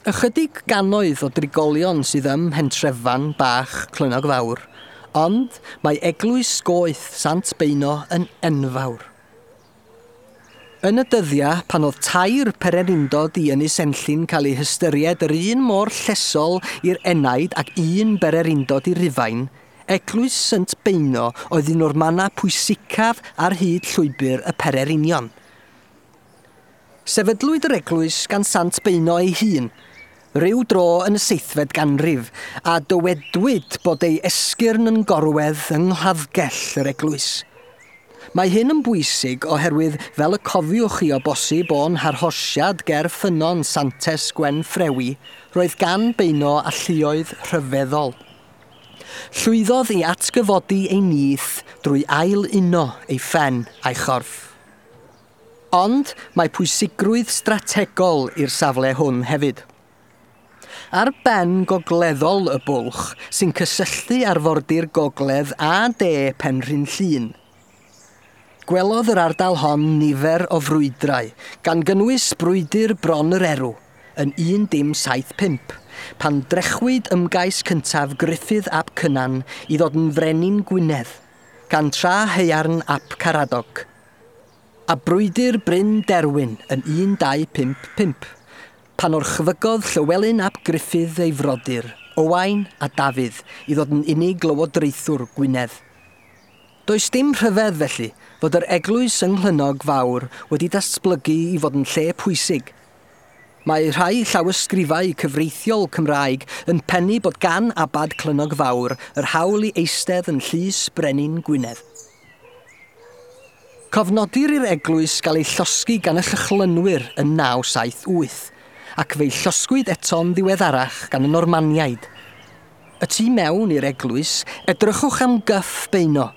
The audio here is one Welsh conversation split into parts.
Ychydig gannoedd o drigolion sydd ym Mhentrefan bach Clynnog Fawr, ond mae eglwys goeth Sant Beuno yn enfawr. Yn y dyddiau pan oedd tair pererindod i Ynys Enllyn cael ei hystyried yr un mor llesol i'r enaid ac un bererindod i Rufain, eglwys Sant Beuno oedd un o'r mannau pwysicaf ar hyd llwybr y pererinion. Sefydlwyd yr eglwys gan Sant Beuno ei hun, ryw dro yn y seithfed ganrif, a dywedwyd bod ei esgyrn yn gorwedd yng nghladdgell yr eglwys. Mae hyn yn bwysig oherwydd, fel y cofiwch chi o bosib o'n harhosiad ger ffynnon Santes Gwen Ffrewi, roedd gan Beuno alluoedd rhyfeddol. Llwyddodd i atgyfodi ei nith drwy ail-uno ei phen a'i chorff. Ond mae pwysigrwydd strategol i'r safle hwn hefyd. Ar ben gogleddol y bwlch sy'n cysylltu arfordir gogledd a de Penrhyn Llŷn. Gwelodd yr ardal hon nifer o frwydrau, gan gynnwys brwydr Bron yr Erw yn 1075, pan drechwyd ymgais cyntaf Gruffydd ap Cynan i ddod yn frenin Gwynedd, gan Trahaearn ap Caradog. A brwydr Bryn Derwin yn 1255, pan orchfygodd Llywelyn ap Gruffydd ei frodyr, Owain a Dafydd, i ddod yn unig lywodraethwr Gwynedd. Does dim rhyfedd, felly, fod yr eglwys yng Nghlynnog Fawr wedi datblygu i fod yn lle pwysig. Mae rhai llawysgrifau cyfreithiol Cymraeg yn pennu bod gan Abad Clynnog Fawr yr hawl i eistedd yn llys Brenin Gwynedd. Cofnodir i'r eglwys gael ei llosgi gan y Llychlynwyr yn 978, ac fe'i llosgwyd eto'n ddiweddarach gan y Normaniaid. Y tu mewn i'r eglwys, edrychwch am gyff Beuno.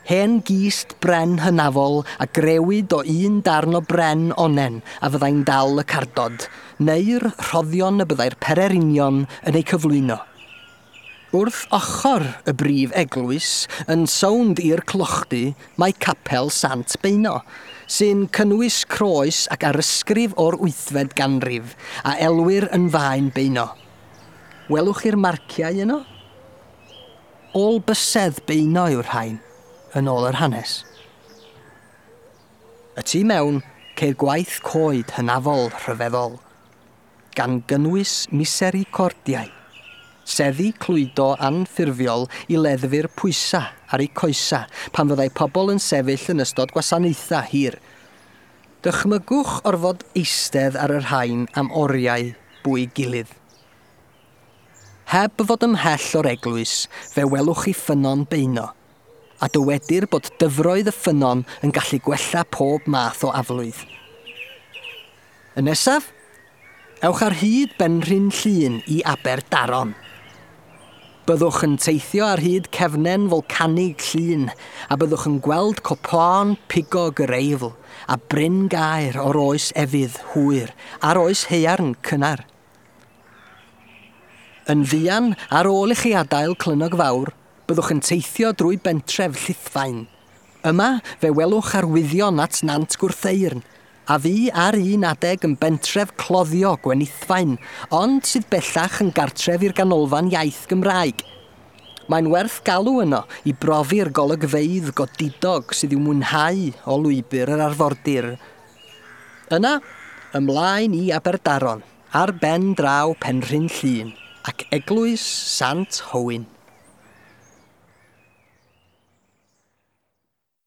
Hen gist bren hynafol a grëwyd o un darn o bren onnen a fyddai'n dal y cardod, neu'r rhoddion y byddai'r pererinion yn eu cyflwyno. Wrth ochr y brif eglwys, yn sownd i'r clochdy, mae Capel Sant Beuno, sy'n cynnwys croes ac arysgrif o'r wythfed ganrif, a elwir yn Faen Beuno. Welwch chi'r marciau yno? Ôl bysedd Beuno yw'r rhain, yn ôl yr hanes. Y tu mewn, ceir gwaith coed hynafol rhyfeddol, gan gynnwys misericordiau, seddi clwydo anffurfiol i leddfu'r pwysau ar eu coesau pan fyddai pobl yn sefyll yn ystod gwasanaethau hir. Dychmygwch orfod eistedd ar y rhain am oriau bwy gilydd. Heb fod ymhell o'r eglwys, fe welwch chi ffynnon Beuno, a dywedir bod dyfroedd y ffynnon yn gallu gwella pob math o aflwydd. Y nesaf, ewch ar hyd Benrhyn Llŷn i Aberdaron. Byddwch yn teithio ar hyd cefnen folcanig Llŷn a byddwch yn gweld copaon pigog yr Eifl a Bryn Gaer o'r oes efydd hwyr a'r oes haearn cynnar. Yn fuan ar ôl i chi adael Clynnog Fawr, byddwch yn teithio drwy bentref Llithfaen. Yma, fe welwch arwyddion at Nant Gwrtheyrn, a fu ar un adeg yn bentref cloddio Gwenithfaen, ond sydd bellach yn gartref i'r Ganolfan Iaith Gymraeg. Mae'n werth galw yno i brofi'r golygfeydd godidog sydd i'w mwynhau o lwybr yr arfordir. Yna, ymlaen i Aberdaron, ar ben draw Penrhyn Llŷn ac Eglwys Sant Hywyn.